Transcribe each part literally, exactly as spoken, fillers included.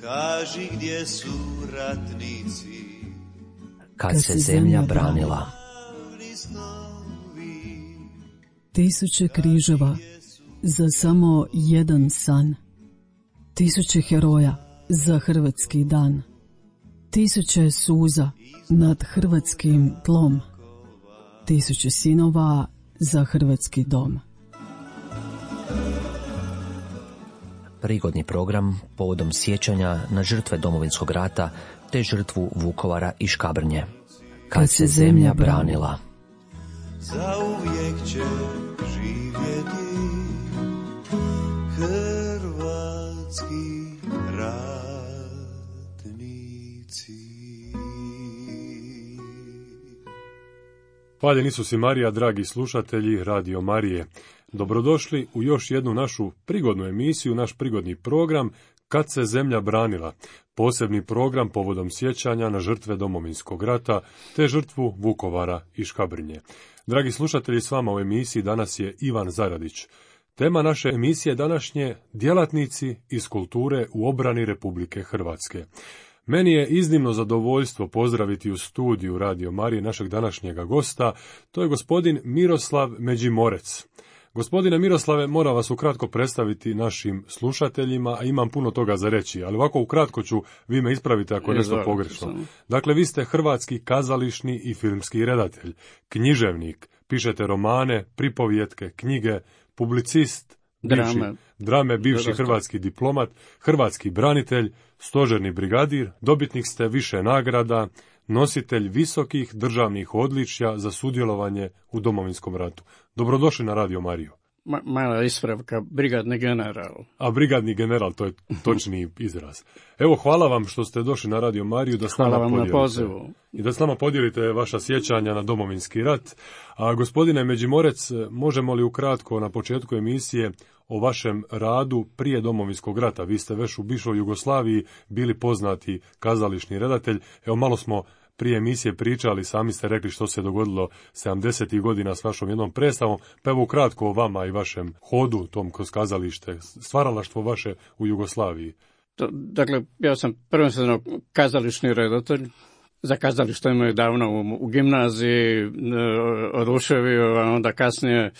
Kaži gdje su ratnici, kad se zemlja branila. Tisuće križeva za samo jedan san. Tisuće heroja za hrvatski dan. Tisuće suza nad hrvatskim tlom. Tisuće sinova za hrvatski dom. Prigodni program povodom sjećanja na žrtve Domovinskog rata te žrtvu Vukovara i Škabrnje. Kad se zemlja branila. Zauvijek će živjeti hrvatski ratnici. Hvaljeni Isus i Marija, dragi slušatelji Radio Marije. Dobrodošli u još jednu našu prigodnu emisiju, naš prigodni program Kad se zemlja branila. Posebni program povodom sjećanja na žrtve Domovinskog rata te žrtvu Vukovara i Škabrnje. Dragi slušatelji, s vama u emisiji danas je Ivan Zaradić. Tema naše emisije današnje djelatnici iz kulture u obrani Republike Hrvatske. Meni je iznimno zadovoljstvo pozdraviti u studiju Radio Marije našeg današnjega gosta, to je gospodin Miroslav Međimorec. Gospodine Miroslave, moram vas ukratko predstaviti našim slušateljima, a imam puno toga za reći, ali ovako ukratko ću, vi me ispravite ako je nešto pogrešno. Dakle, vi ste hrvatski kazališni i filmski redatelj, književnik, pišete romane, pripovjetke, knjige, publicist, bivši, drame, drame bivši hrvatski diplomat, hrvatski branitelj, stožerni brigadir, dobitnik ste više nagrada, nositelj visokih državnih odličja za sudjelovanje u Domovinskom ratu. Dobrodošli na Radio Mariju. Ma, mala ispravka, brigadni general. A brigadni general, to je točni izraz. Evo, hvala vam što ste došli na Radio Mariju da s nama hvala vam podijelite. Na pozivu. I da s nama podijelite vaša sjećanja na Domovinski rat. A gospodine Međimorec, možemo li ukratko na početku emisije o vašem radu prije Domovinskog rata? Vi ste već u bivšoj Jugoslaviji bili poznati kazališni redatelj. Evo, malo smo prije emisije pričali, sami ste rekli što se dogodilo sedamdesetih godina s vašom jednom predstavom, pa evo ukratko o vama i vašem hodu tom kroz kazalište, stvaralaštvo vaše u Jugoslaviji. To, dakle, ja sam prvenstveno kazališni redatelj. Za kazalište me davno u, u gimnaziji e, oduševio, a onda kasnije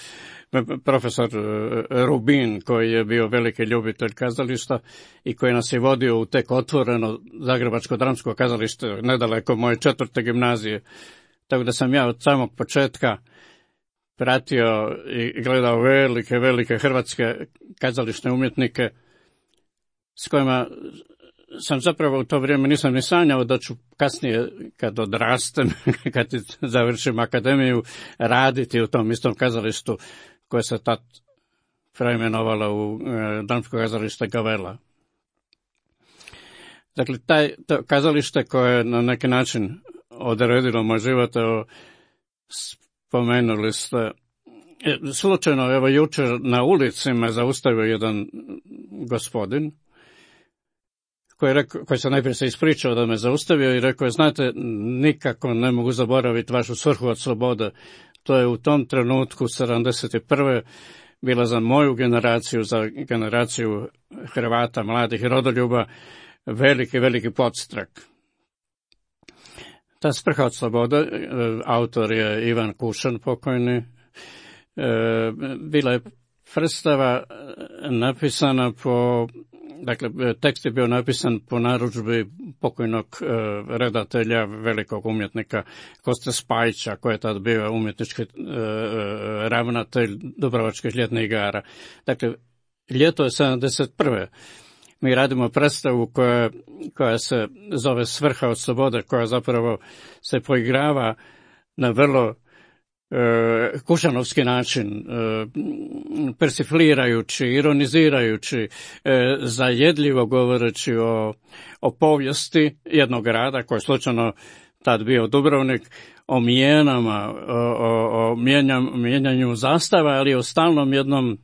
profesor Rubin, koji je bio veliki ljubitelj kazališta i koji nas je vodio u tek otvoreno Zagrebačko dramsko kazalište nedaleko moje četvrte gimnazije. Tako da sam ja od samog početka pratio i gledao velike, velike hrvatske kazališne umjetnike s kojima sam zapravo u to vrijeme nisam ni sanjao da ću kasnije, kad odrastem, kad završim akademiju, raditi u tom istom kazalištu koje se tad preimenovalo u e, dramsko kazalište Gavella. Dakle, taj, to kazalište koje je na neki način odredilo moj život, evo, spomenuli ste, e, slučajno, evo, jučer na ulici me zaustavio jedan gospodin, koji, rekao, koji se najprije se ispričao da me zaustavio i rekao je, znate, nikako ne mogu zaboraviti vašu svrhu od slobode. To je u tom trenutku, sedamdeset prve bila za moju generaciju, za generaciju Hrvata, mladih rodoljuba, veliki, veliki podstrak. Ta svrha od slobode, autor je Ivan Kušan, pokojni, bila je predstava napisana po, dakle, tekst je bio napisan po narudžbi pokojnog e, redatelja, velikog umjetnika Koste Spajića, koji je tad bio umjetnički e, ravnatelj Dubrovačkih ljetnih igara. Dakle, ljeto je sedamdeset prve Mi radimo predstavu koja, koja se zove Svrha od slobode, koja zapravo se poigrava na vrlo E, kušanovski način, e, persiflirajući, ironizirajući, e, zajedljivo govoreći o, o povijesti jednog grada koji je slučajno tad bio Dubrovnik, o mijenama, o, o, o mijenjam, mijenjanju zastava, ali o stalnom jednom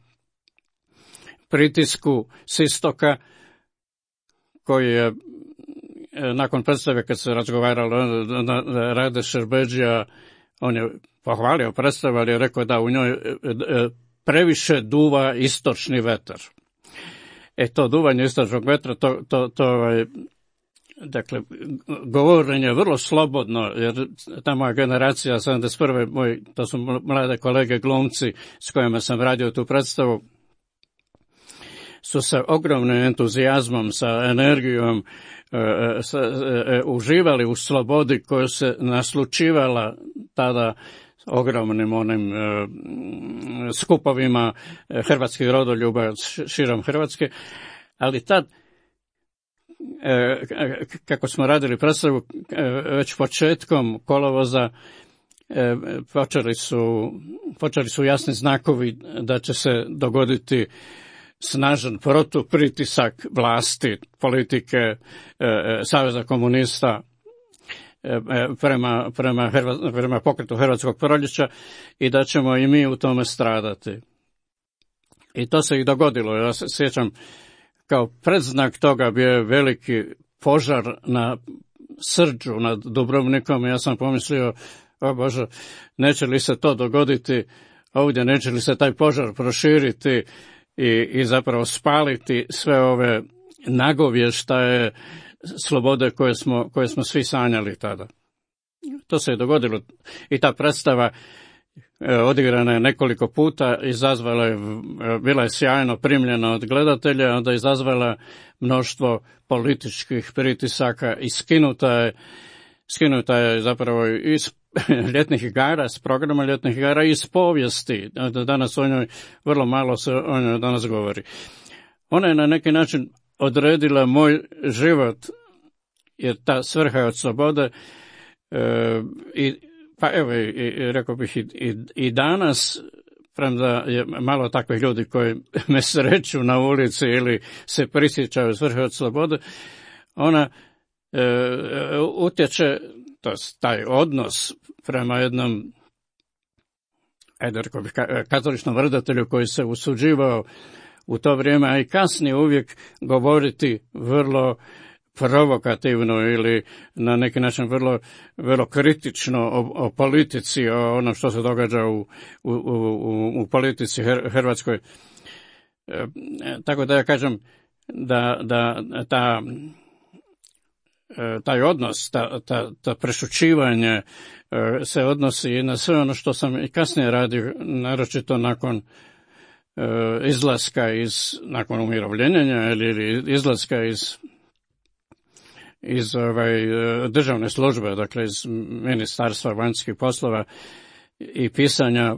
pritisku s istoka koji je nakon predstave kad se razgovaralo na Rade Šerbedžija, on je pohvalio predstavu, ali je rekao da u njoj previše duva istočni vetar. E to duvanje istražnog vetra, to, to, to ovaj, dakle, govorenje je vrlo slobodno, jer ta moja generacija, sedamdeset prve moj, to su mlade kolege glumci s kojima sam radio tu predstavu, su sa ogromnim entuzijazmom, sa energijom, e, sa, e, uživali u slobodi koju se naslučivala tada ogromnim onim e, skupovima hrvatskih rodoljuba širom Hrvatske, ali tad e, kako smo radili predstavu, e, već početkom kolovoza e, počeli su, počeli su jasni znakovi da će se dogoditi snažan protupritisak vlasti, politike, e, e, Saveza komunista e, prema, prema, Hrva, prema pokretu Hrvatskog proljeća i da ćemo i mi u tome stradati. I to se i dogodilo. Ja se sjećam, kao predznak toga bio je veliki požar na Srđu nad Dubrovnikom. Ja sam pomislio, o Bože, neće li se to dogoditi ovdje, neće li se taj požar proširiti i, i zapravo spaliti sve ove nagovještaje slobode koje smo, koje smo svi sanjali tada. To se je dogodilo i ta predstava e, odigrana je nekoliko puta, izazvala je, bila je sjajno primljena od gledatelja, onda je izazvala mnoštvo političkih pritisaka i skinuta je, skinuta je zapravo iz ljetnih igara, s programa ljetnih igara i iz povijesti. Danas o njoj vrlo malo se o njoj danas govori. Ona je na neki način odredila moj život, jer ta svrha je od slobode e, i pa evo, i, i, rekao bih i, i, i danas, premda je malo takvih ljudi koji me sreću na ulici ili se prisjećaju svrhe od slobode, ona e, utječe, to je taj odnos prema jednom, ajde rekao bih, katoličnom redatelju koji se usuđivao u to vrijeme, a i kasnije uvijek govoriti vrlo provokativno ili na neki način vrlo, vrlo kritično o, o politici, o onom što se događa u, u, u, u politici Hrvatskoj. E, tako da ja kažem da, da ta, taj odnos, ta, ta, ta prešućivanje se odnosi i na sve ono što sam i kasnije radio, naročito nakon izlaska iz, nakon umirovljenja ili, ili izlaska iz iz ovaj, državne službe, dakle iz Ministarstva vanjskih poslova i pisanja,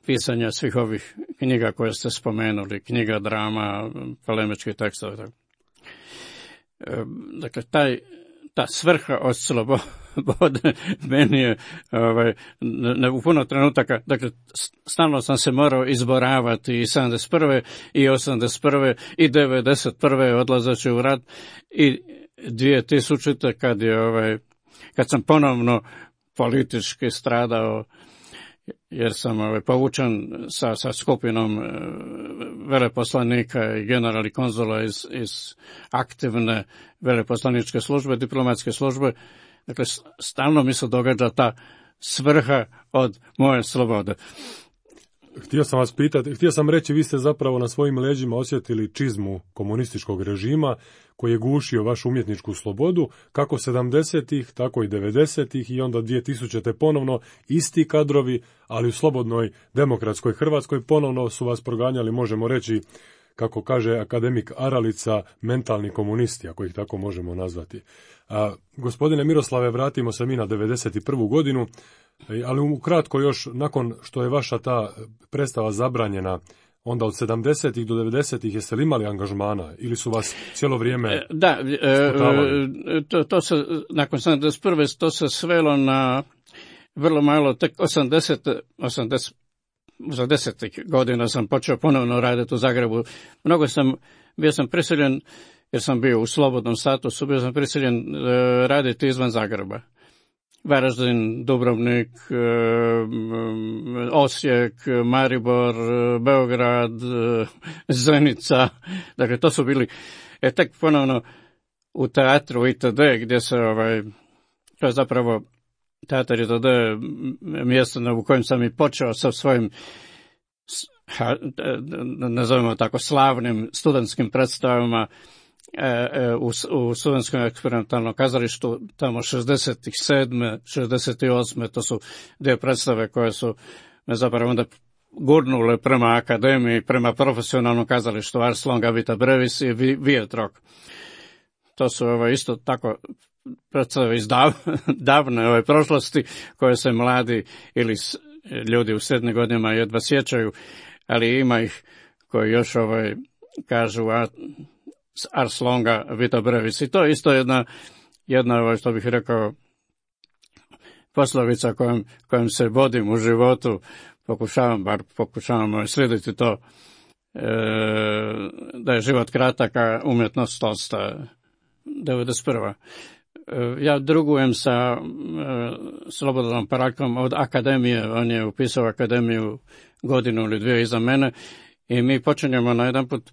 pisanja svih ovih knjiga koje ste spomenuli, knjiga, drama, polemički tekstovi. Dakle, taj, ta svrha od slobode meni je ovaj, ne, u puno trenutaka, dakle, stalno sam se morao izboravati i sedamdeset prve i osamdeset prve i devedeset prve odlazeći u rat i dvije tisućite kad je ovaj, kad sam ponovno politički stradao jer sam ovaj, povučen sa, sa skupinom e, veleposlanika i generali konzula iz, iz aktivne veleposlaničke službe, diplomatske službe. Dakle, stalno mi se događa ta svrha od moje slobode. Htio sam vas pitati, htio sam reći, vi ste zapravo na svojim leđima osjetili čizmu komunističkog režima koji je gušio vašu umjetničku slobodu, kako sedamdesetih, tako i devedesetih i onda dvije tisućite ponovno isti kadrovi, ali u slobodnoj demokratskoj Hrvatskoj ponovno su vas proganjali, možemo reći, kako kaže akademik Aralica, mentalni komunisti, ako ih tako možemo nazvati. A, gospodine Miroslave, vratimo se mi na devedeset prvu godinu, ali ukratko još, nakon što je vaša ta predstava zabranjena, onda od sedamdesetih do devedesetih jeste li imali angažmana ili su vas cijelo vrijeme da, e, to, to se, nakon sedamdeset prve to se svelo na vrlo malo, tek osamdeset, osamdeset, osamdesetih godina sam počeo ponovno raditi u Zagrebu. Mnogo sam, bio sam prisiljen, jer sam bio u slobodnom statusu, bio sam prisiljen e, raditi izvan Zagreba. Varaždin, Dubrovnik, Osijek, Maribor, Beograd, Zenica, dakle to su bili, e tek ponovno u teatru itd. Gdje se, ovaj, to je zapravo teatar itd. Mjesto u kojem sam i počeo sa svojim nazovimo tako, slavnim studentskim predstavama u, u studentskom eksperimentalnom kazalištu, tamo šezdeset sedme, šezdeset osme to su dvije predstave koje su me zapravo onda gurnule prema akademiji, prema profesionalnom kazalištu, Ars longa vita brevis i Vietrok. To su ovo, isto tako predstave iz dav, davne ove prošlosti koje se mladi ili ljudi u srednjim godinama jedva sjećaju, ali ima ih koji još ovaj, kažu a, Ars longa vita brevis. I to je isto jedna, jedna ovaj, što bih rekao, poslovica kojom, kojom se vodim u životu. Pokušavam, bar pokušavam slijediti to, e, da je život kratak, a umjetnost tolsta. devedeset prva. E, ja drugujem sa e, Slobodanom Parakom od akademije, on je upisao akademiju godinu ili dvije iza mene i mi počinjemo na jedan put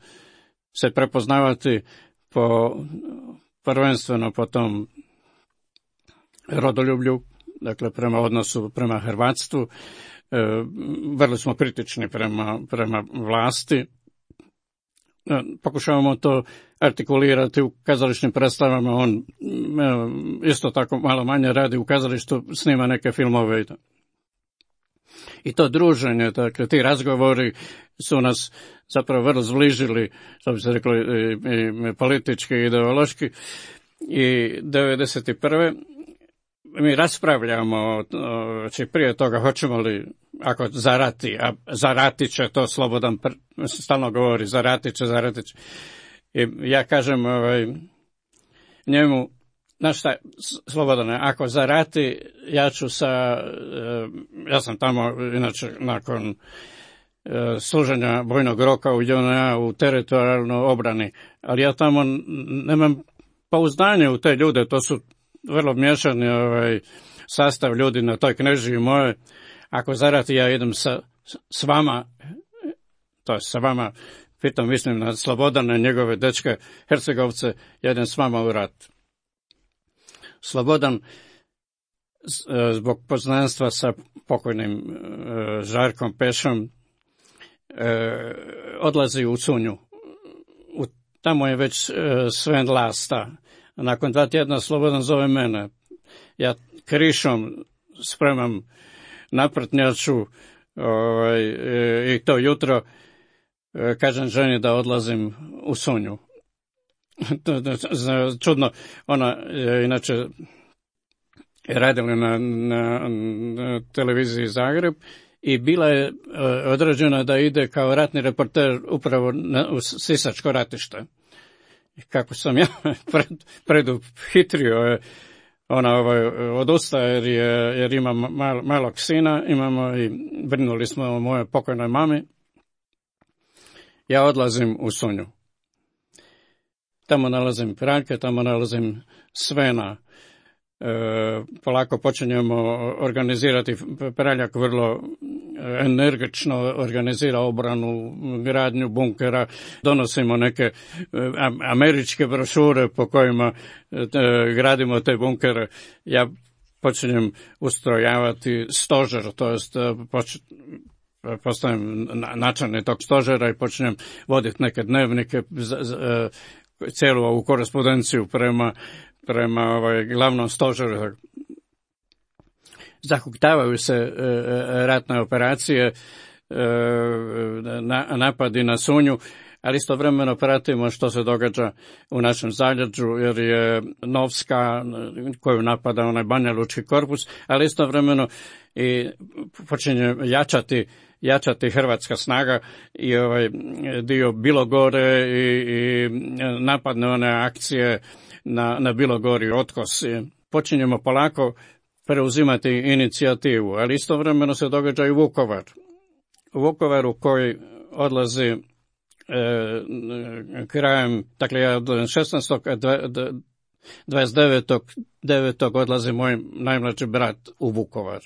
se prepoznavati po, prvenstveno po tom rodoljublju, dakle prema odnosu prema hrvatstvu. E, vrlo smo kritični prema, prema vlasti. E, pokušavamo to artikulirati u kazališnim predstavama. On e, isto tako malo manje radi u kazalištu, snima neke filmove i to. I to druženje, dakle ti razgovori su nas zapravo vrlo zbližili, što bi se reklo, i, i politički i ideološki. I devedeset prve mi raspravljamo, znači prije toga hoćemo li, ako zarati, a zarati će to Slobodan stalno govori, zarati će, zarati će. I ja kažem ovaj, njemu, znaš šta, Slobodane, ako zarati, ja ću sa, ja sam tamo, inače, nakon služenja vojnog roka u J N A u teritorijalnoj obrani, ali ja tamo nemam pouzdanje u te ljude, to su vrlo miješani ovaj, sastav ljudi na toj knežiji moje. Ako zarati, ja idem sa, s vama, to je sa vama, pitam, mislim na Slobodane, njegove dečke, Hercegovce, ja idem s vama u rat. Slobodan, zbog poznanstva sa pokojnim Žarkom Pešom, odlazi u Cunju. U, tamo je već Sven Lasta. Nakon dva tjedna Slobodan zove mene. Ja krišom spremam naprtnjaču ovaj, i to jutro kažem ženi da odlazim u Sunju. Čudno, ona je inače radila na, na, na televiziji Zagreb i bila je određena da ide kao ratni reporter upravo na, u Sisačko ratište. I kako sam ja pred, preduhitrio je, ona ovaj, odustaje jer, je, jer ima mal, malog sina, imamo i brinuli smo o mojoj pokojnoj mami. Ja odlazim u Sunju. Tamo nalazim Pranke, tamo nalazim Svena. E, polako počinjemo organizirati, Praljak vrlo energično organizira obranu, gradnju bunkera, donosimo neke američke brošure po kojima e, gradimo te bunkere. Ja počinjem ustrojavati stožer, to jest poč, postavim načelnik tog stožera i počinjem voditi neke dnevnike, z, z, cijelu ovu korespondenciju prema prema ovaj, glavnom stožeru. Zahuktavaju se e, ratne operacije, e, na, napadi na Sunju, ali istovremeno pratimo što se događa u našem zaleđu, jer je Novska, koju napada onaj Banja Lučki korpus, ali istovremeno i počinje jačati jačati hrvatska snaga i ovaj dio Bilogore i, i napadne one akcije na, na Bilogori, Otkos. Počinjemo polako preuzimati inicijativu, ali istovremeno se događa i Vukovar. U Vukovaru koji odlazi e, krajem, dakle ja šesnaestog dvadeset devetog odlazi moj najmlađi brat u Vukovar.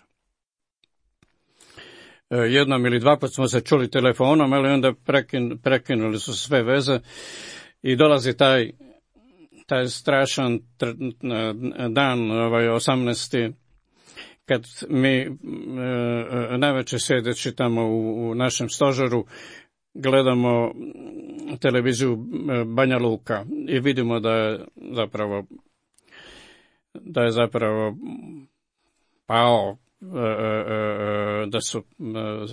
E, jednom ili dva put smo se čuli telefonom, ali onda prekin, prekinuli su sve veze i dolazi taj taj strašan dan, ovaj osamnaesti kad mi e, navečer sjedeći tamo u, u našem stožeru gledamo televiziju Banja Luka i vidimo da je zapravo da je zapravo pao, da su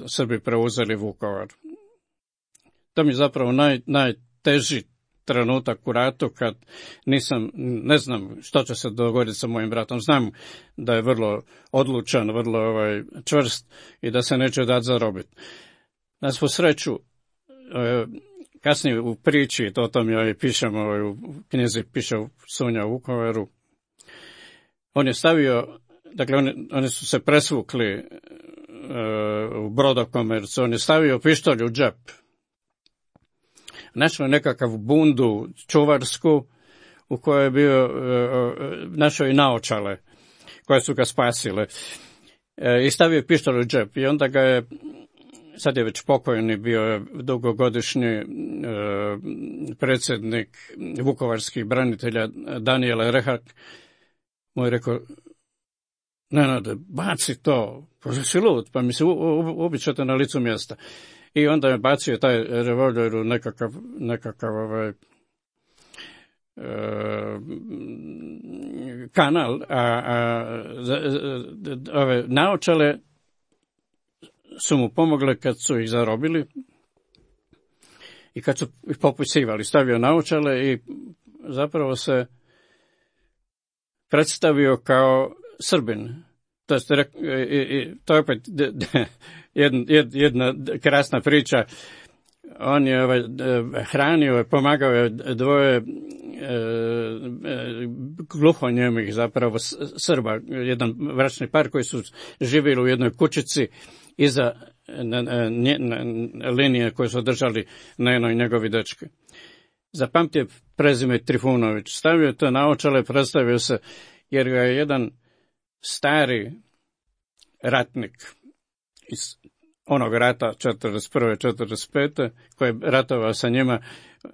Srbi preuzeli Vukovar. To mi je zapravo naj, najteži trenutak u ratu kad nisam, ne znam što će se dogoditi sa mojim bratom. Znam da je vrlo odlučan, vrlo ovaj, čvrst i da se neće dati zarobiti. Na svu sreću, kasnije u priči, to o tom ja i pišem, u knjizi piše Sunja u Vukovaru, on je stavio, dakle oni, oni su se presvukli uh, u Brodokomercu, on je stavio pištolj u džep. Našao nekakav bundu čuvarsku u kojoj je bio, uh, našao i naočale koje su ga spasile. Uh, I stavio pištolj u džep i onda ga je, sad je već pokojni, bio je dugogodišnji uh, predsjednik vukovarskih branitelja Danijel Rehak, mu je rekao, Nenade, baci to, pa si lud, pa mi se ubit ćete na licu mjesta. I onda je bacio taj revolver u nekakav, nekakav ovaj, e, kanal, a, a ove naočale su mu pomogle kad su ih zarobili i kad su ih popisivali, stavio naočale i zapravo se predstavio kao Srbin. To je, to je opet jedna, jedna krasna priča. On je ovaj, hranio, pomagao je dvoje e, gluhonjemih zapravo Srba, jedan bračni par koji su živjeli u jednoj kućici iza na, na, na, linije koje su držali Neno i njegovi dečki. Zapamtio prezime Trifunović, stavio to naočale, predstavio se, jer ga je jedan stari ratnik iz onog rata četrdeset prve četrdeset pete koji je ratovao sa njima,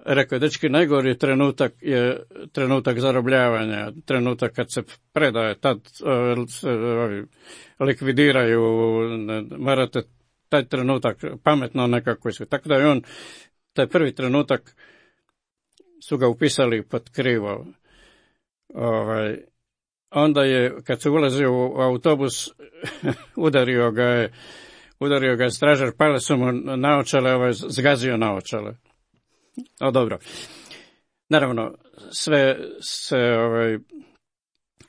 rekao je, dečki, najgori trenutak je trenutak zarobljavanja, trenutak kad se predaje, tad se likvidiraju, morate taj trenutak pametno nekako iskoristiti. Tako da je on, taj prvi trenutak su ga upisali pod krivo. Ovaj, onda je, kad se ulazio u autobus, udario ga je, udario ga je stražar, pale su mu naočale, ovaj, zgazio naočale. O, dobro. Naravno, sve se, ovaj,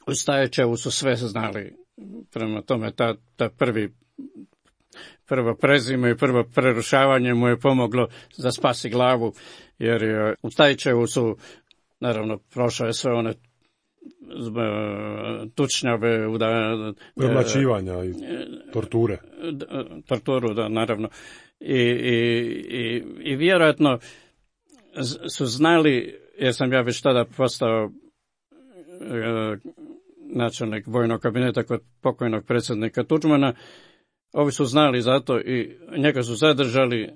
u Stajećevu su sve znali. Prema tome, ta, ta prvi, prvo prezime i prvo prerušavanje mu je pomoglo da spasi glavu, jer je, u Stajećevu su, naravno, prošao je sve one tučnjave, premlaćivanja i torture. Torturu, da, naravno. I, i, i, i vjerojatno su znali, jer sam ja već tada postao e, načelnik vojnog kabineta kod pokojnog predsjednika Tuđmana, ovi su znali za to i njega su zadržali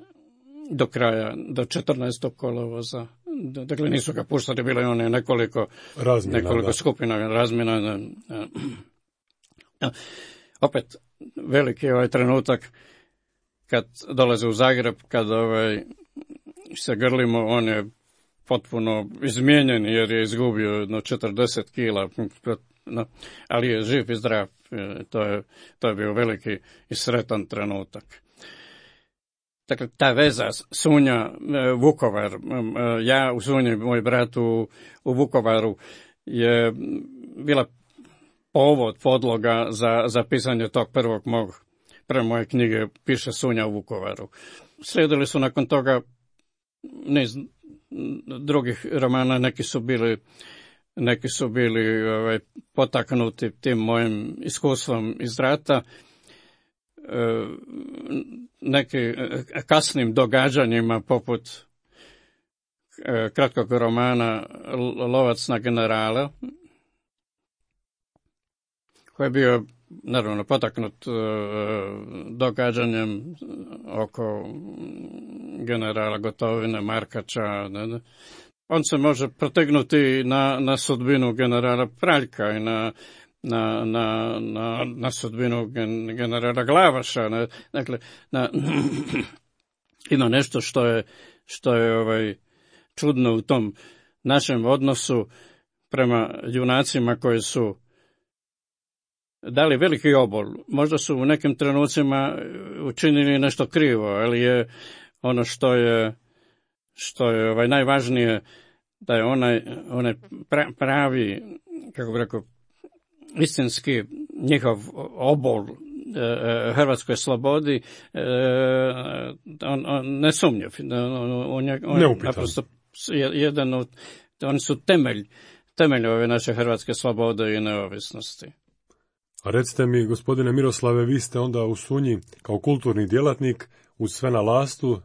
do kraja, do četrnaestog kolovoza. Dakle, nisu ga puštali, bilo je one nekoliko, razmina, nekoliko da. skupina razmina. Opet, veliki je ovaj trenutak kad dolaze u Zagreb, kad ovaj, se grlimo, on je potpuno izmijenjen jer je izgubio jedno četrdeset kila, no, ali je živ i zdrav. To je, to je bio veliki i sretan trenutak. Dakle, ta veza Sunja, Vukovar, ja u Sunji, moj brat u, u Vukovaru, je bila povod, podloga za, za pisanje tog prvog mog, prve moje knjige, piše Sunja u Vukovaru. Slijedili su nakon toga niz drugih romana, neki su bili, neki su bili ovaj, potaknuti tim mojim iskustvom iz rata, neki kasnim događanjima poput kratkog romana Lovac na generala, koji je bio naravno potaknut događanjem oko generala Gotovine, Markača. On se može protegnuti na, na sudbinu generala Praljka i na na, na, na, na sudbinu gen, generala Glavaša. Na, dakle, na, ima nešto što je, što je ovaj, čudno u tom našem odnosu prema junacima koji su dali veliki obol. Možda su u nekim trenucima učinili nešto krivo, ali je ono što je, što je ovaj, najvažnije, da je onaj, onaj pravi, kako bi rekao, istinski njihov obol e, hrvatskoj slobodi, e, on, on nesumnjiv. On, on je on naprosto jedan od, oni su temelj, temelj ove naše hrvatske slobode i neovisnosti. A recite mi, gospodine Miroslave, vi ste onda u Sunji kao kulturni djelatnik uz Svena Lastu.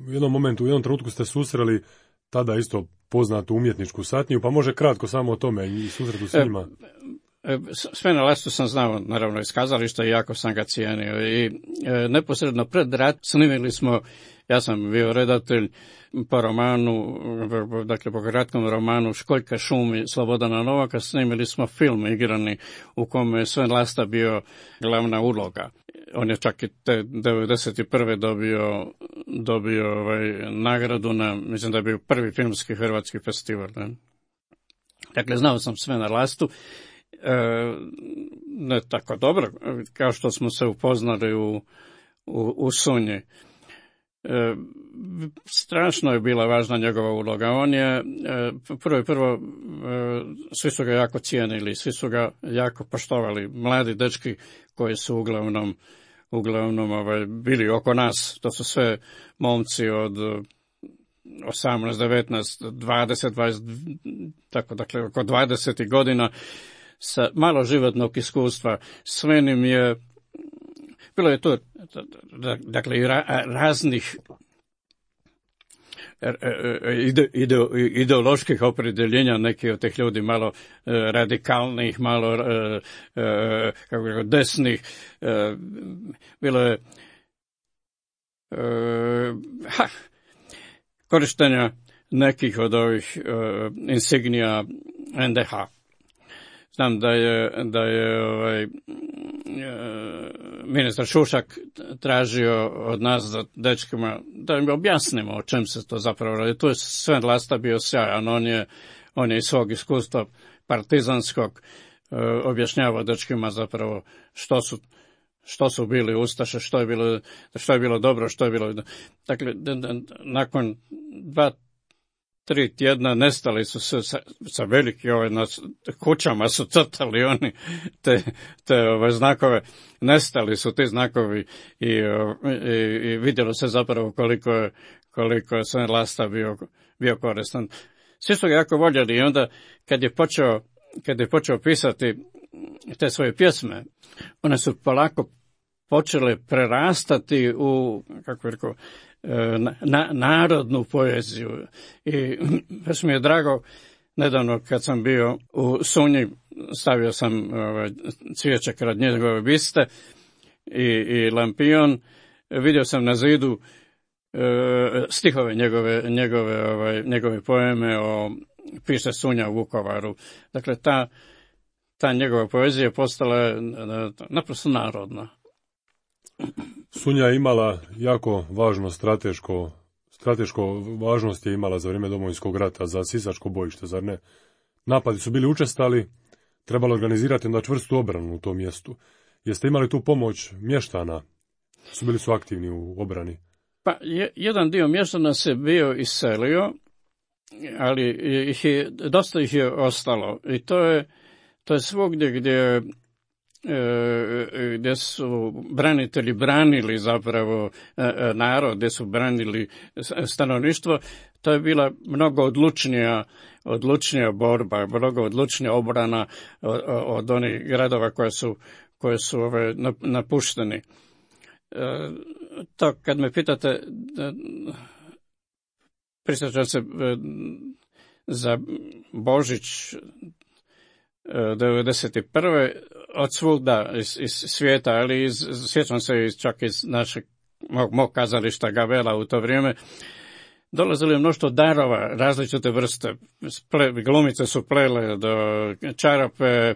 U jednom momentu, u jednom trenutku ste susreli tada isto poznatu umjetničku satniju, pa može kratko samo o tome i susretu s njima. E, Svena Lastu sam znao, naravno, iz kazališta i jako sam ga cijenio. I e, neposredno pred rat snimili smo, ja sam bio redatelj po romanu, dakle po kratkom romanu Školjka šumi Slobodana Novaka, snimili smo film igrani u kome je Sven Lasta bio glavna uloga. On je čak i te devedeset prve dobio, dobio ovaj, nagradu na, mislim da je bio prvi filmski hrvatski festival. Ne? Dakle, znao sam Svena Lastu, e, ne tako dobro, kao što smo se upoznali u, u, u Sunji. E, strašno je bila važna njegova uloga. On je e, prvo i prvo, e, svi su ga jako cijenili, svi su ga jako poštovali. Mladi dečki koji su uglavnom, uglavnom ovaj, bili oko nas, to su sve momci od osamnaest, devetnaest, dvadeset, dvadeset, tako, dakle, oko dvadeset godina sa malo životnog iskustva. Sve im je, bilo je to, dakle, i ra, raznih ide, ide, ideoloških opredjeljenja, neki od tih ljudi malo radikalnih, malo kako je, desnih. Bilo je ha, korištenja nekih od ovih insignija en de ha. Znam da je, da je ovaj, ministar Šušak tražio od nas, da dečkima, da im objasnimo o čem se to zapravo radi. Tu je Sven Lasta bio sjajan, on je, on je iz svog iskustva partizanskog objašnjavao dečkima zapravo što su, što su bili ustaše, što je bilo, što je bilo dobro, što je bilo. Dakle, nakon dva, tri tjedna nestali su se sa, sa veliki ovaj, na kućama su crtali oni te, te ove znakove, nestali su ti znakovi i, i, i vidjelo se zapravo koliko je, koliko je Sven Lasta bio, bio koristan. Svi su ga jako voljeli i onda kad je počeo, kad je počeo pisati te svoje pjesme, one su polako počele prerastati u, kako je rekao, Na, narodnu poeziju. I baš mi je drago, nedavno kad sam bio u Sunji, stavio sam ovaj, cvijeće kraj njegove biste i, i lampion, vidio sam na zidu e, stihove njegove, njegove, ovaj, njegove poeme o piše Sunja u Vukovaru. Dakle, ta, ta njegova poezija postala je naprosto narodna. Sunja je imala jako važno strateško, strateško važnost je imala za vrijeme Domovinskog rata, za sisačko bojište, zar ne? Napadi su bili učestali, trebalo organizirati onda čvrstu obranu u tom mjestu. Jeste imali tu pomoć mještana? Su bili su aktivni u obrani? Pa, je, jedan dio mještana se bio iselio, ali ih je, dosta ih je ostalo. I to je, to je svugdje gdje gdje su branitelji branili zapravo narod, gdje su branili stanovništvo, to je bila mnogo odlučnija, odlučnija borba, mnogo odlučnija obrana od, od onih gradova koje su, koje su ove, napušteni. To kad me pitate, prisjećam se za Božić devedeset prve od svugda iz, iz svijeta, ali iz, sjećam se iz, čak iz našeg mog, mog kazališta Gavela u to vrijeme, dolazili mnoštvo darova, različite vrste. Ple, glumice su plele do čarape, e,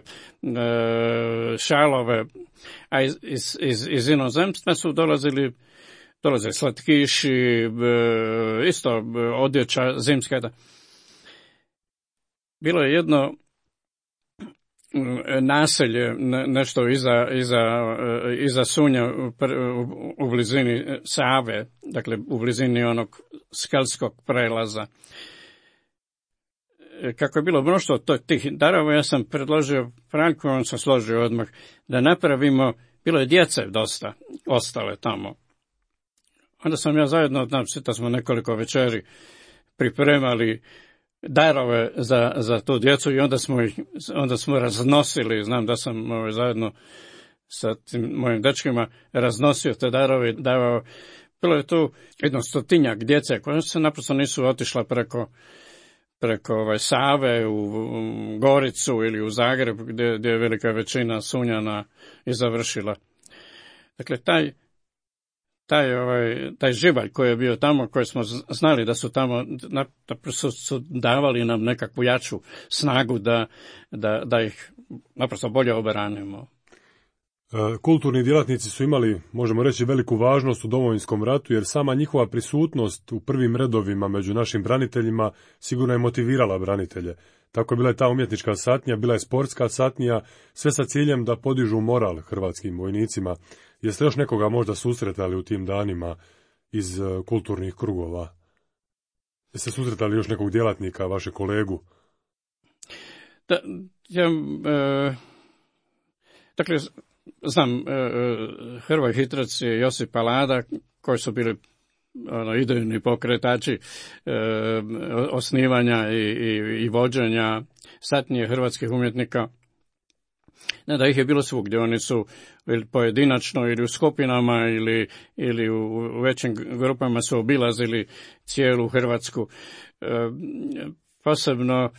šalove, a iz, iz, iz, iz inozemstva su dolazili dolaze slatkiši, e, isto odjeća zimska. Bilo je jedno naselje, nešto iza, iza, iza Sunja u, u blizini Save, dakle u blizini onog skalskog prelaza. Kako je bilo mnoštvo tih darova, ja sam predložio Franku, on se složio odmah, da napravimo, bilo je djece dosta, ostale tamo. Onda sam ja zajedno, znači, da smo nekoliko večeri pripremali darove za, za tu djecu i onda smo ih, onda smo raznosili, znam da sam ovaj, zajedno sa tim mojim dečkima raznosio te darove i davao. Bilo je tu jedno stotinjak djece koje se naprosto nisu otišla preko, preko ovaj, Save u, u Goricu ili u Zagreb gdje, gdje je velika većina Sunjana i završila. Dakle, taj Taj, ovaj, taj živalj koji je bio tamo, koji smo znali da su tamo, naprosto su davali nam nekakvu jaču snagu da, da, da ih naprosto bolje oberanimo. Kulturni djelatnici su imali, možemo reći, veliku važnost u Domovinskom ratu, jer sama njihova prisutnost u prvim redovima među našim braniteljima sigurno je motivirala branitelje. Tako je bila ta umjetnička satnija, bila je sportska satnija, sve sa ciljem da podižu moral hrvatskim vojnicima. Jeste još nekoga možda susretali u tim danima iz uh, kulturnih krugova? Jeste susretali još nekog djelatnika, vaše kolegu? Da, ja, e, dakle, znam, e, Hrvoje Hitrac i Josip Palada, koji su bili ono, idejni pokretači e, osnivanja i, i, i vođenja satnije hrvatskih umjetnika. Ne da ih je bilo svugdje, oni su ili pojedinačno ili u skupinama ili, ili u, u većim grupama su obilazili cijelu Hrvatsku. E, posebno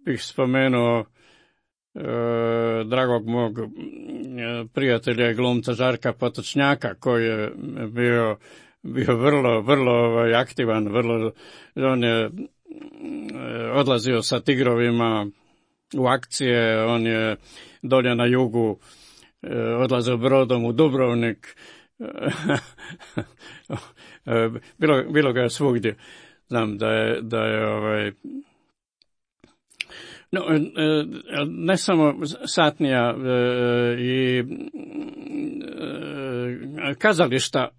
bih spomenuo e, dragog mog prijatelja i glumca Žarka Potočnjaka, koji je bio, bio vrlo, vrlo ovaj, aktivan, vrlo, on je odlazio sa Tigrovima u akcije, on je dolje na jugu odlazio brodom u Dubrovnik, bilo, bilo ga je svugdje. Znam da je, da je ovaj, no, ne samo satnija i kazališta,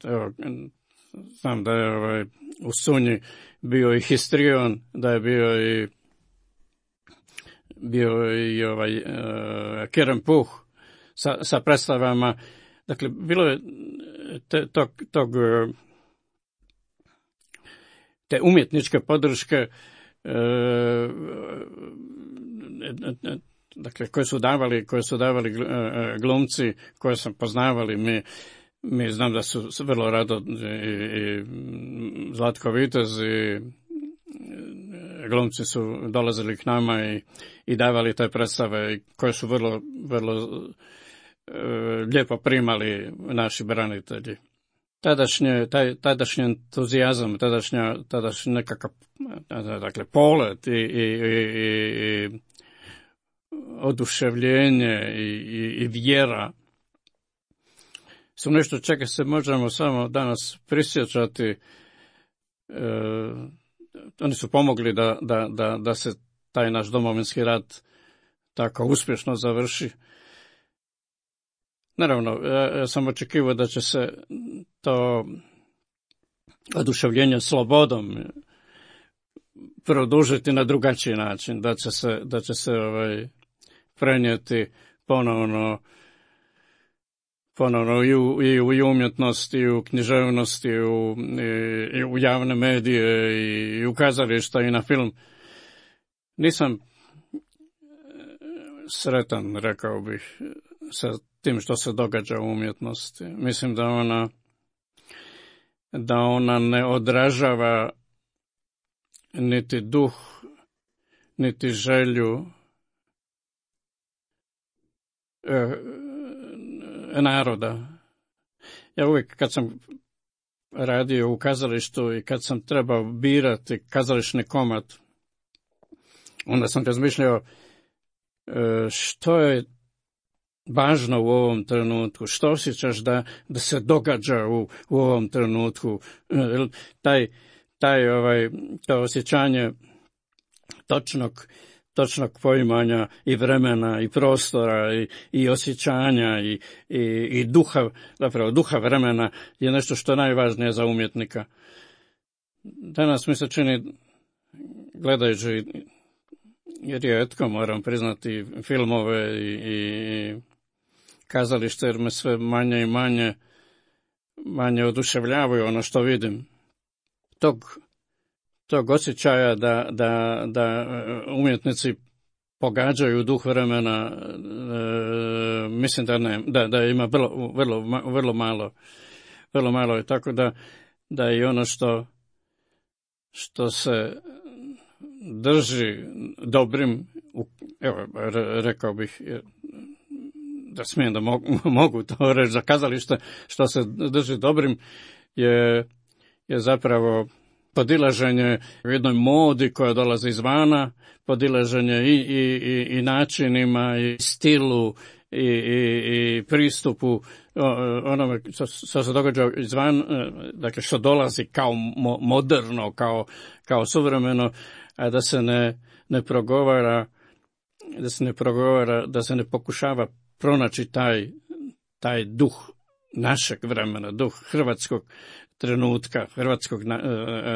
evo, znam da je ovaj, u Sunji bio i histrion, da je bio i bio i ovaj uh, Kerem Puh sa, sa predstavama. Dakle, bilo je te, tog, tog, te umjetničke podrške uh, dakle, koje su davali, koje su davali glumci, koje sam poznavali. Mi, mi znam da su vrlo rado i, i Zlatko Vitez i glumci su dolazili k nama i, i davali te predstave koje su vrlo, vrlo e, lijepo primali naši branitelji. Tadašnje, taj, tadašnji entuzijazam, tadašnja, tadašnji nekakav, dakle, polet i, i, i, i oduševljenje i, i, i vjera su nešto čega se možemo samo danas prisjećati. E, oni su pomogli da, da, da, da se taj naš Domovinski rat tako uspješno završi. Naravno, ja sam očekivao da će se to oduševljenje slobodom produžiti na drugačiji način, da će se, da će se ovaj, prenijeti ponovno ponovno i u, i u, i u umjetnosti, i u književnosti, i u, i, i u javne medije, i, i u kazališta, i na film. Nisam sretan, rekao bih, sa tim što se događa u umjetnosti. Mislim da ona, da ona ne odražava niti duh, niti želju e, naroda. Ja uvijek kad sam radio u kazalištu i kad sam trebao birati kazališni komad, onda sam razmišljao što je važno u ovom trenutku, što osjećaš da, da se događa u, u ovom trenutku, taj, taj ovaj, to osjećanje točnog, točnog poimanja i vremena i prostora i, i osjećanja i, i, i duha, zapravo duha vremena je nešto što je najvažnije za umjetnika. Danas mi se čini, gledajući rijetko, moram priznati, filmove i, i kazalište, jer me sve manje i manje, manje oduševljavaju ono što vidim. Tog, tog osjećaja da, da, da umjetnici pogađaju duh vremena, e, mislim da ne, da, da ima vrlo, vrlo, vrlo malo, vrlo malo je, tako da, da i ono što, što se drži dobrim, evo, rekao bih da smijem da mogu, mogu to reći za kazalište, što se drži dobrim je, je zapravo podilaženje u jednoj modi koja dolazi izvana, podilaženje i, i, i, i načinima i stilu i, i, i pristupu onome što, što se događa izvan, dakle što dolazi kao mo, moderno, kao, kao suvremeno, a da se ne, ne progovara, da se ne progovara, da se ne pokušava pronaći taj, taj duh našeg vremena, duh hrvatskog trenutka, hrvatskog na,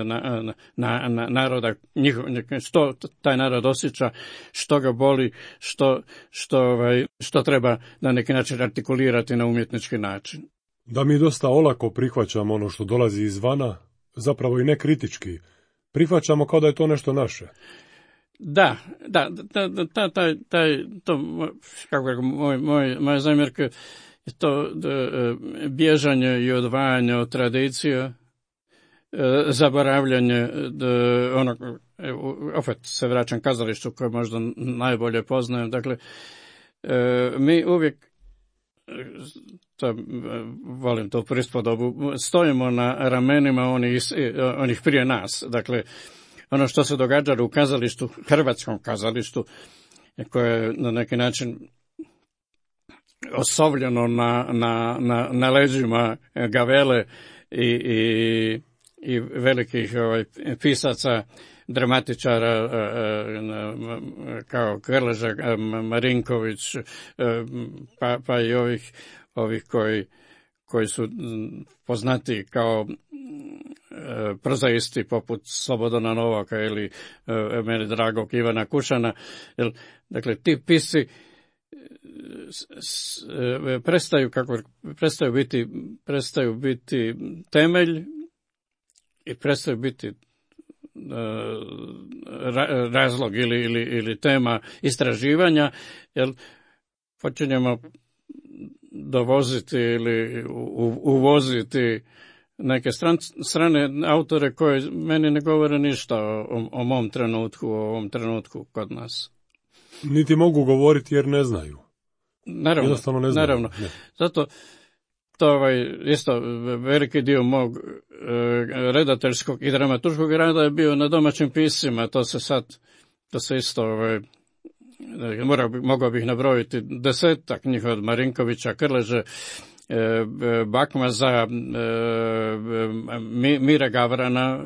na, na, na, naroda, njihov, što taj narod osjeća, što ga boli, što, što, ovaj, što treba na neki način artikulirati na umjetnički način. Da mi dosta olako prihvaćamo ono što dolazi izvana, zapravo i ne kritički. Prihvaćamo kao da je to nešto naše. Da, da, da, da taj, taj, taj, to, kako je moj, moj, moja zamjerka je to da, bježanje i odvajanje od tradicije, zaboravljanje, da, ono, opet se vraćam kazalištu koje možda najbolje poznajem, dakle, mi uvijek, to, volim to prispodobu, stojimo na ramenima onih, onih prije nas, dakle, ono što se događalo u kazalištu, hrvatskom kazalištu, koje je na neki način osovljeno na, na, na, na leđima Gavele i, i, i velikih ovaj, pisaca, dramatičara kao Krleža, Marinković, pa, pa i ovih, ovih koji, koji su poznati kao prozaisti poput Slobodana Novaka ili meni dragog Ivana Kušana. Dakle, ti pisci prestaju, kako, prestaju biti, prestaju biti temelj i prestaju biti razlog ili, ili, ili tema istraživanja, jer počinjemo dovoziti ili uvoziti neke stran, strane autore koje meni ne govore ništa o, o mom trenutku, o ovom trenutku kod nas. Niti mogu govoriti jer ne znaju. Naravno, Jednostavno ne znaju. Naravno. Ne. Zato to ovaj, isto veliki dio mog e, redateljskog i dramaturškog rada je bio na domaćim piscima. To se sad, to se isto, ovaj, morao bi, mogao bih nabrojiti desetak njih od Marinkovića, Krleže, e, Bakmaza, e, Mire Gavrana,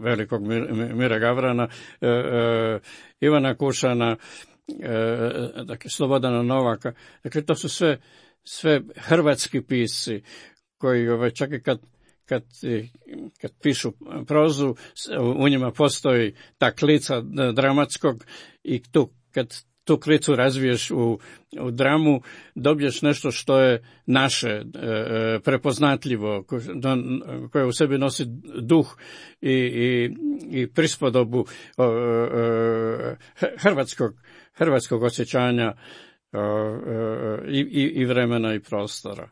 velikog Mire Gavrana, e, e, Ivana Kušana, e, dakle Slobodana Novaka. Dakle, to su sve sve hrvatski pisci koji ovaj, čak i kad, kad, kad pišu prozu, u njima postoji ta klica dramatskog i tu, kad tu klicu razviješ u, u dramu, dobiješ nešto što je naše, e, prepoznatljivo, koje u sebi nosi duh i, i, i prispodobu e, e, hrvatskog, hrvatskog osjećanja I, i, i vremena i prostora.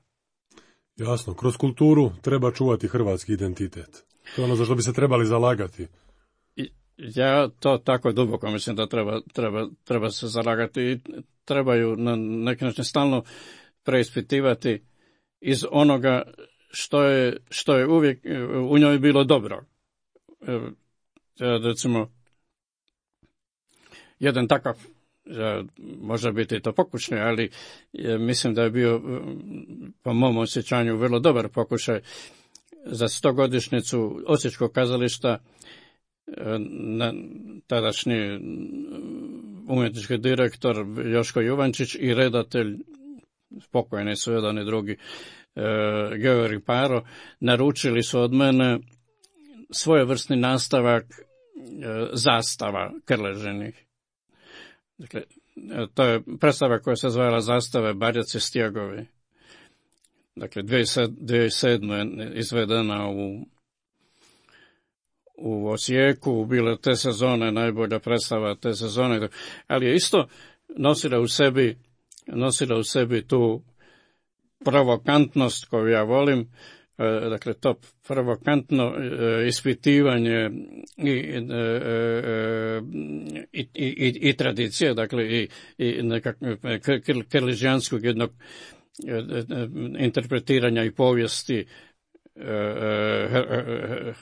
Jasno, kroz kulturu treba čuvati hrvatski identitet. To je ono za što bi se trebali zalagati. I, ja to tako duboko mislim da treba, treba, treba se zalagati i trebaju na neki način stalno preispitivati iz onoga što je, što je uvijek u njoj bilo dobro. Recimo, jedan takav, može biti to pokušaj, ali mislim da je bio, po mom osjećanju, vrlo dobar pokušaj za stogodišnjicu Osječkog kazališta. Na, tadašnji umjetnički direktor Joško Juvančić i redatelj, pokojni su jedan i drugi, e, Georgi Paro, naručili su od mene svojevrsni nastavak e, zastava Krležinih. Dakle, to je predstava koja se zvala Zastave Barjaci stjegovi. Dakle, dvije tisuće sedme izvedena u u Osijeku, bile te sezone, najbolja predstava te sezone, ali je isto nosila u sebi, nosila u sebi tu provokantnost koju ja volim, dakle to provokantno ispitivanje i, i, i, i, i tradicije, dakle i, i nekakvog krležijanskog jednog interpretiranja i povijesti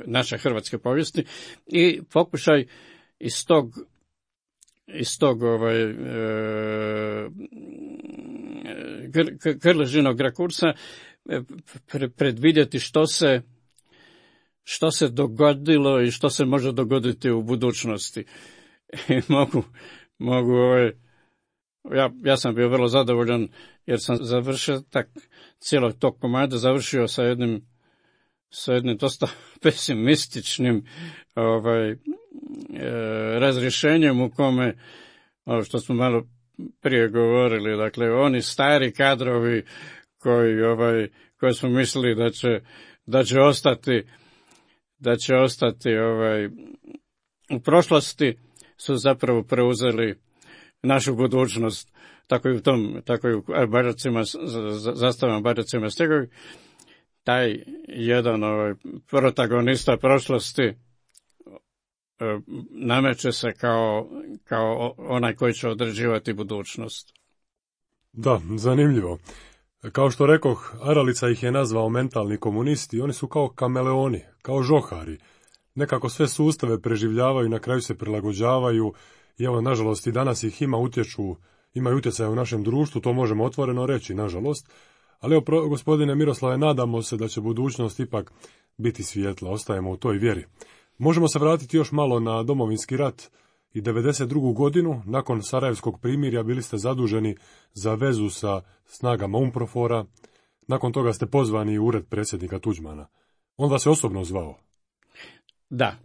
naše hrvatske povijesti i pokušaj iz tog iz tog ovaj, Krležinog rakursa predvidjeti što se što se dogodilo i što se može dogoditi u budućnosti. I mogu, mogu ovaj, ja, ja sam bio vrlo zadovoljan jer sam završio tak cijelog tog komada završio sa jednim sa jednim dosta pesimističnim ovaj, e, razrješenjem u kome, ovo što smo malo prije govorili, dakle, oni stari kadrovi koji, ovaj, koji smo mislili da će, da će ostati, da će ostati ovaj, u prošlosti, su zapravo preuzeli našu budućnost, tako i u tom, tako i u Barjacima, zastavama Barjacima stjegovi. Taj jedan ovaj, protagonista prošlosti nameće se kao, kao onaj koji će određivati budućnost. Da, zanimljivo. Kao što rekoh, Aralica ih je nazvao mentalni komunisti, oni su kao kameleoni, kao žohari. Nekako sve sustave preživljavaju, na kraju se prilagođavaju i evo, nažalost, i danas ih ima utječu, imaju utjecaja u našem društvu, to možemo otvoreno reći, nažalost. Ali evo, gospodine Miroslave, nadamo se da će budućnost ipak biti svijetla, ostajemo u toj vjeri. Možemo se vratiti još malo na Domovinski rat i devedeset drugu godinu, nakon Sarajevskog primirja bili ste zaduženi za vezu sa snagama UNPROFOR-a, nakon toga ste pozvani u ured predsjednika Tuđmana. On vas je osobno zvao? Da.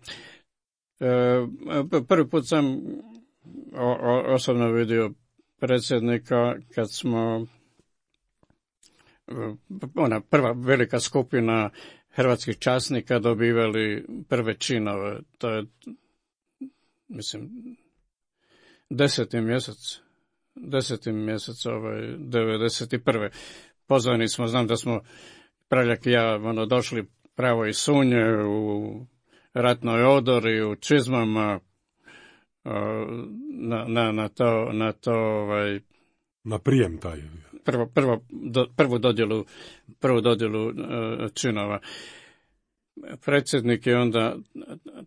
E, prvi put sam o, o, osobno vidio predsjednika kad smo ona prva velika skupina hrvatskih časnika dobivali prve činove. To je, mislim, deseti mjesec, deseti mjesec ovaj, devedeset prve. Pozvani smo, znam da smo Praljak i ja ono, došli pravo iz Sunje u ratnoj odori, u čizmama, na, na, na to, na to ovaj, na prijem taj. Prvo, prvo, do, prvu dodjelu, prvu dodjelu uh, činova. Predsjednik je onda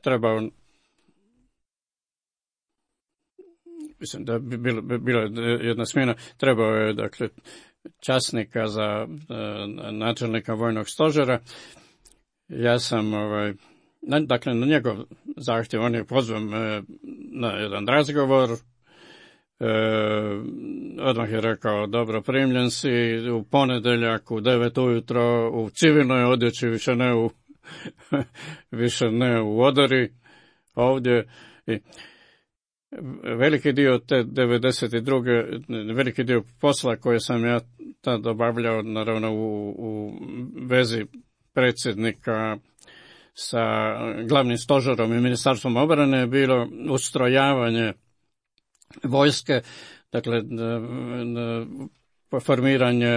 trebao, mislim da bi bilo, bi bila jedna smjena, trebao je, dakle, časnika za uh, načelnika vojnog stožera. Ja sam, ovaj, na, dakle, na njegov zahtjev, on je pozvan uh, na jedan razgovor. E, odmah je rekao, dobro, primljen si u ponedjeljak u devet ujutro u civilnoj odjeći, više ne u više ne u odori ovdje. I veliki dio te devedeset druge veliki dio posla koje sam ja tad obavljao, naravno u, u vezi predsjednika sa glavnim stožerom i ministarstvom obrane je bilo ustrojavanje vojske, dakle formiranje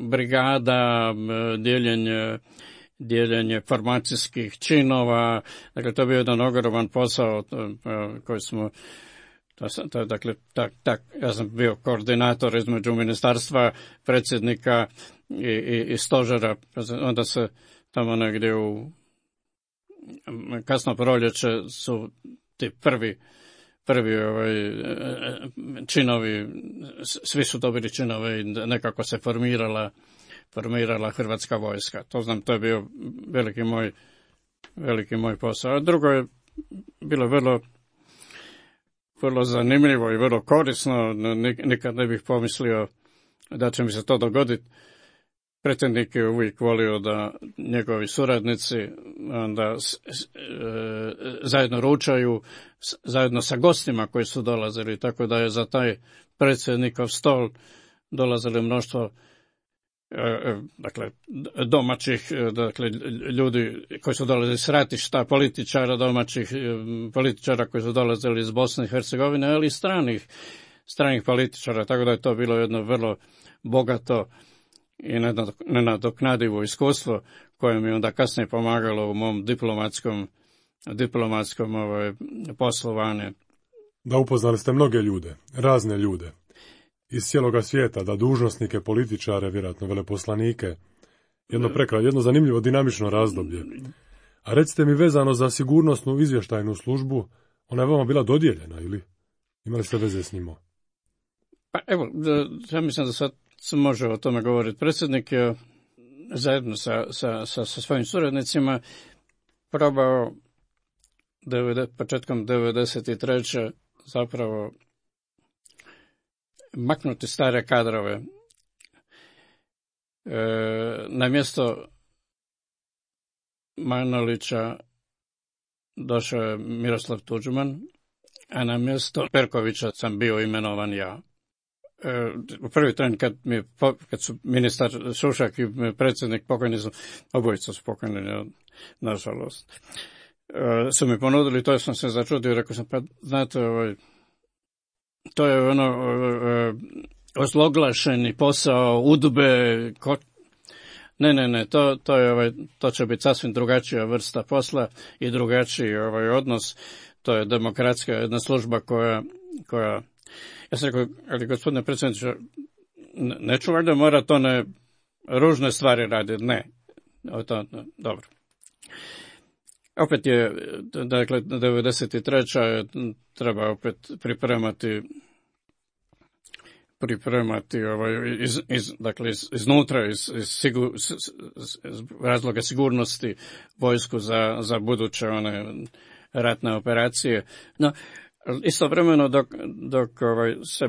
brigada, dijeljenje, dijeljenje formacijskih činova, dakle to je bio jedan ogroman posao koji smo, to, dakle, tak, tak, ja sam bio koordinator između ministarstva, predsjednika i, i, i stožera, onda se tamo negdje u kasno proljeće su ti prvi prvi ovaj, činovi, svi su dobili činove i nekako se formirala formirala Hrvatska vojska. To znam, to je bio veliki moj veliki moj posao. A drugo je bilo vrlo vrlo zanimljivo i vrlo korisno. Nikad ne bih pomislio da će mi se to dogoditi. Predsjednik je uvijek volio da njegovi suradnici onda s, s, e, zajedno ručaju s, zajedno sa gostima koji su dolazili, tako da je za taj predsjednikov stol dolazili mnoštvo e, dakle domaćih dakle ljudi koji su dolazili s ratišta, političara domaćih, političara koji su dolazili iz Bosne i Hercegovine, ali i stranih stranih političara, tako da je to bilo jedno vrlo bogato i nenadoknadivo iskustvo koje mi onda kasnije pomagalo u mom diplomatskom, diplomatskom ovaj, poslovanju. Da, upoznali ste mnoge ljude, razne ljude, iz cijeloga svijeta, da dužnosnike, političare, vjerojatno veleposlanike, jedno prekraj, jedno zanimljivo dinamično razdoblje. A recite mi, vezano za sigurnosnu izvještajnu službu, ona je vama bila dodijeljena, ili imali ste veze s njima? Pa evo, ja mislim da sad se može o tome govoriti. Predsjednik je zajedno sa, sa, sa, sa svojim suradnicima probao devede, početkom devedeset treće zapravo maknuti stare kadrove. E, na mjesto Manolića došao je Miroslav Tuđman, a na mjesto Perkovića sam bio imenovan ja. U prvi tren kad, mi, kad su ministar Šušak i predsjednik pokojni su, obojica su pokojni, nažalost, su mi ponudili, to sam se začudio i rekao sam, pa znate, ovaj, to je ono ozloglašeni posao, udbe, ko... ne, ne, ne, to, to, je, ovaj, to će biti sasvim drugačija vrsta posla i drugačiji ovaj odnos, to je demokratska jedna služba koja, koja ja sam rekao, ali gospodine predsjedniče, neću valjda morat one ružne stvari raditi, ne. O to, no, dobro. Opet je, dakle, devedeset treća je treba opet pripremati pripremati ovaj, iz, iz, dakle, iz, iznutra, iz, iz, sigur, iz, iz razloga sigurnosti vojsku za, za buduće one ratne operacije. No, istovremeno dok, dok ovaj, se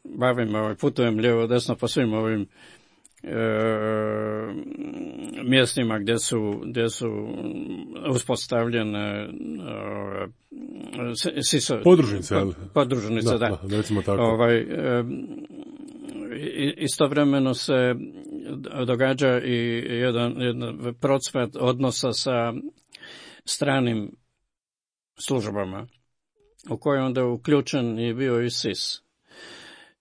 bavim, ovaj, putujem lijevo desno po svim ovim e, mjestima gdje su, gdje su uspostavljene e, siso, podružnice, podružnice, da, da, da recimo tako. Ovaj, e, istovremeno se događa i jedan, jedan procvat odnosa sa stranim službama, u kojoj onda je uključen i bio i S I S.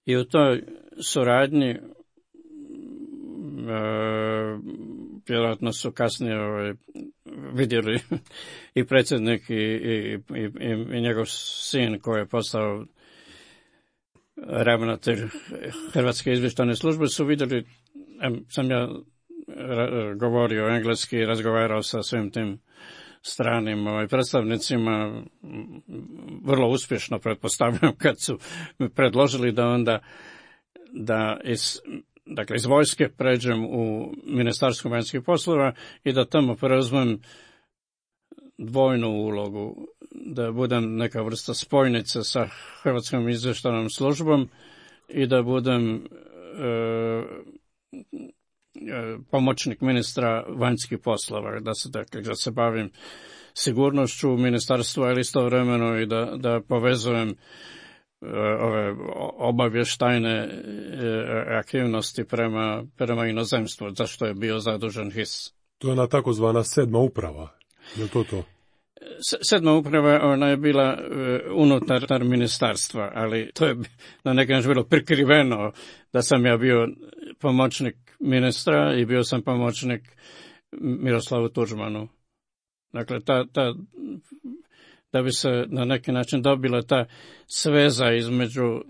I u toj suradnji e, vjerojatno su kasnije ovaj, vidjeli i predsjednik i, i, i, i njegov sin koji je postao ravnatelj Hrvatske izvještajne službe, su vidjeli, sam ja govorio engleski i razgovarao sa svim tim stranim ovaj, predstavnicima, vrlo uspješno pretpostavljam, kad su mi predložili da onda da iz, dakle, iz vojske pređem u Ministarstvo vanjskih poslova i da tamo preuzmem dvojnu ulogu, da budem neka vrsta spojnice sa Hrvatskom izvještajnom službom i da budem e, pomoćnik ministra vanjskih poslova, da se, dakle, da se bavim sigurnošću u ministarstvu, ali istovremeno i da, da povezujem uh, ove obavještajne uh, aktivnosti prema, prema inozemstvu, za što je bio zadužen H I S. To je ona takozvana sedma uprava, je li to to? Sedma uprava, ona je bila uh, unutar ministarstva, ali to je na neki način bilo prikriveno da sam ja bio pomoćnik ministra i bio sam pomoćnik Miroslavu Tuđmanu. Dakle, ta, ta, da bi se na neki način dobila ta sveza između,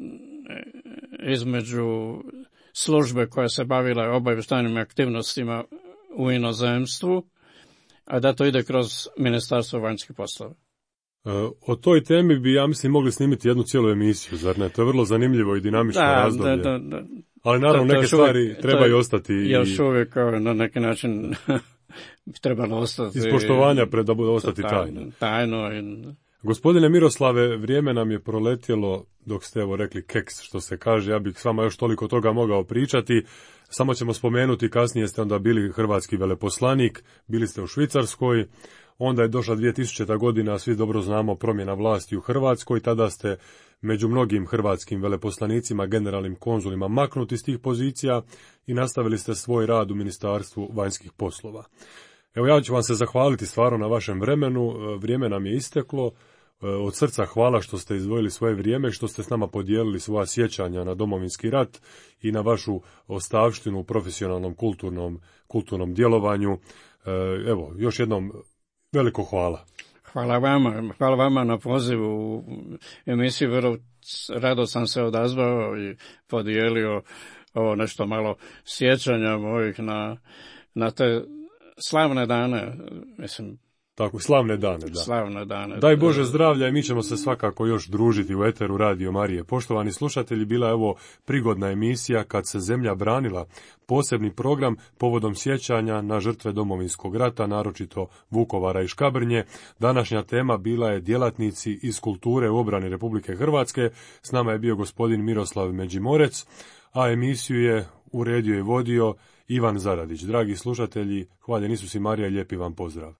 između službe koja se bavila obavještajnim aktivnostima u inozemstvu, a da to ide kroz Ministarstvo vanjskih poslova. O toj temi bi, ja mislim, mogli snimiti jednu cijelu emisiju, zar ne? To je vrlo zanimljivo i dinamično da, razdoblje. Da, da, da. Ali naravno, to, to neke stvari uvijek, trebaju ostati. Još uvijek na neki način bi trebalo ostati. Iz poštovanja pred da bude ostati tajno. Tajno. I... Gospodine Miroslave, vrijeme nam je proletjelo dok ste evo rekli keks, što se kaže. Ja bih s vama još toliko toga mogao pričati. Samo ćemo spomenuti, kasnije ste onda bili hrvatski veleposlanik, bili ste u Švicarskoj. Onda je došla dvije tisućita godina, svi dobro znamo, promjena vlasti u Hrvatskoj. Tada ste među mnogim hrvatskim veleposlanicima, generalnim konzulima maknuti iz tih pozicija i nastavili ste svoj rad u Ministarstvu vanjskih poslova. Evo, ja ću vam se zahvaliti stvarno na vašem vremenu. Vrijeme nam je isteklo. Od srca hvala što ste izdvojili svoje vrijeme, što ste s nama podijelili svoja sjećanja na Domovinski rat i na vašu ostavštinu u profesionalnom kulturnom, kulturnom djelovanju. Evo, još jednom veliko hvala. Hvala vama, hvala vama na pozivu u emisiju. Vrlo rado sam se odazvao i podijelio ovo nešto malo sjećanja mojih na, na te slavne dane, mislim. Tako, slavne dane, da. Slavne dane. Daj Bože zdravlja i mi ćemo se svakako još družiti u eteru Radio Marije. Poštovani slušatelji, bila je ovo prigodna emisija Kad se zemlja branila, posebni program povodom sjećanja na žrtve Domovinskog rata, naročito Vukovara i Škabrnje. Današnja tema bila je djelatnici iz kulture u obrani Republike Hrvatske. S nama je bio gospodin Miroslav Međimorec, a emisiju je uredio i vodio Ivan Zaradić. Dragi slušatelji, hvaljen Isus i Marija, lijepi vam pozdrav.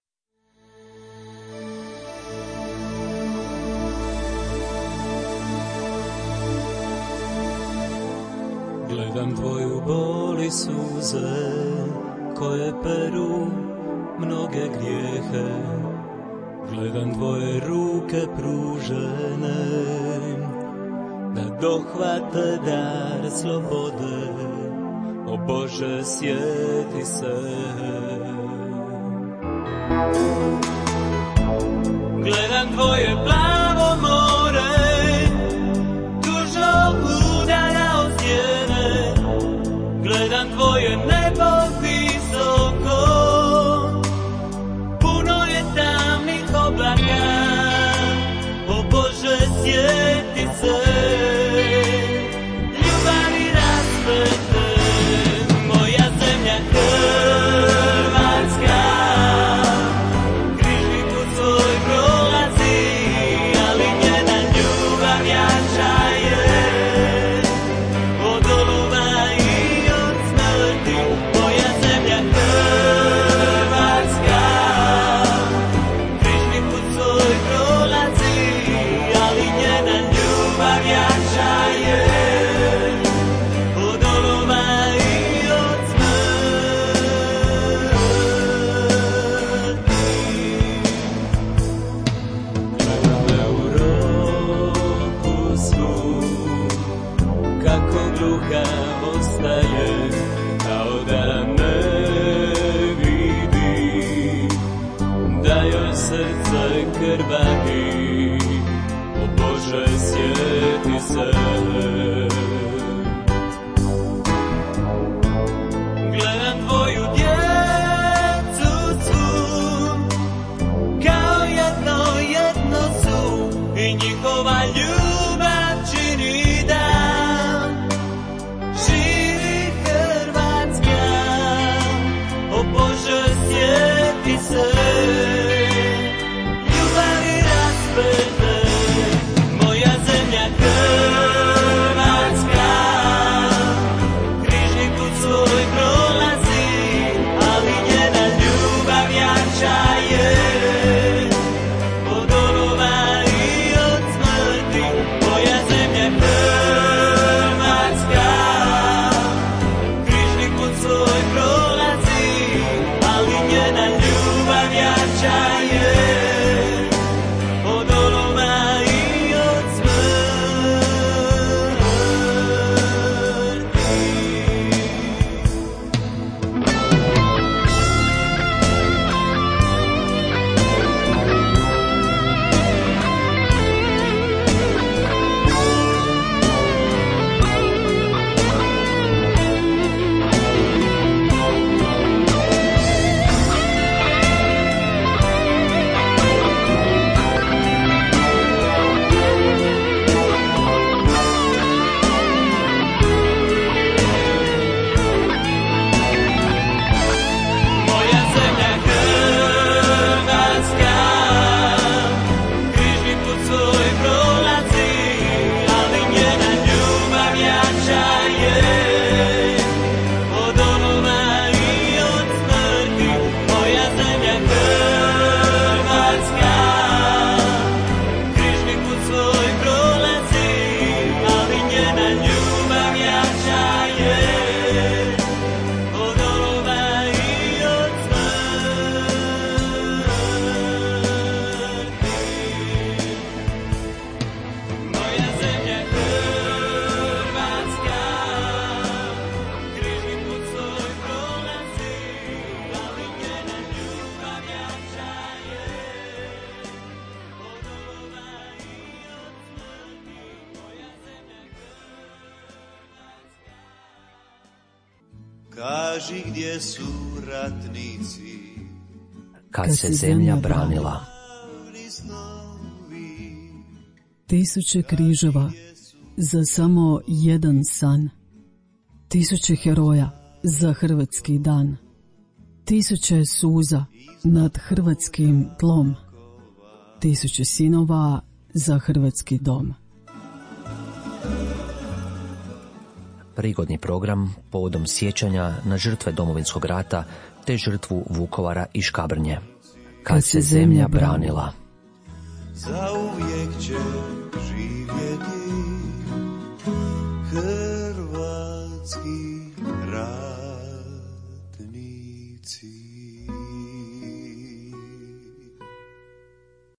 Gledam tvoju bol i suze, koje peru mnoge grijehe. Gledam tvoje ruke pružene, da dohvate dar slobode. O Bože, sjeti se. Gledam tvoje plavo more, tužno udara od stijene. Gledam tvoje nebo visoko, puno je tamnih oblaka. O Bože, sjeti se. Ljubavi rasvete, moja zemlja Hrvatska. Križni put svoj prolazi, ali njena ljubav jača je od oluva i od smrti. Moja zemlja Hrvatska. Križni put svoj prolazi, ali njena ljubav jača je od oluva i od smrti. Gledam Europu svu, kako gluha ostaje, kao da ne vidi, da joj srce krvari. O Bože, sjeti se. Gledam tvoju djecu svu, kao jedno jedno su, i njihova ljubav čini dan. Živi Hrvatska, o Bože, sjeti se. Ljubavi raspete, moja zemlja kaži gdje su ratnici, kad se zemlja branila. Tisuće križeva za samo jedan san, tisuće heroja za hrvatski dan, tisuće suza nad hrvatskim tlom, tisuće sinova za hrvatski dom. Prigodni program povodom sjećanja na žrtve Domovinskog rata te žrtvu Vukovara i Škabrnje. Kad se zemlja branila. Zauvijek će živjeti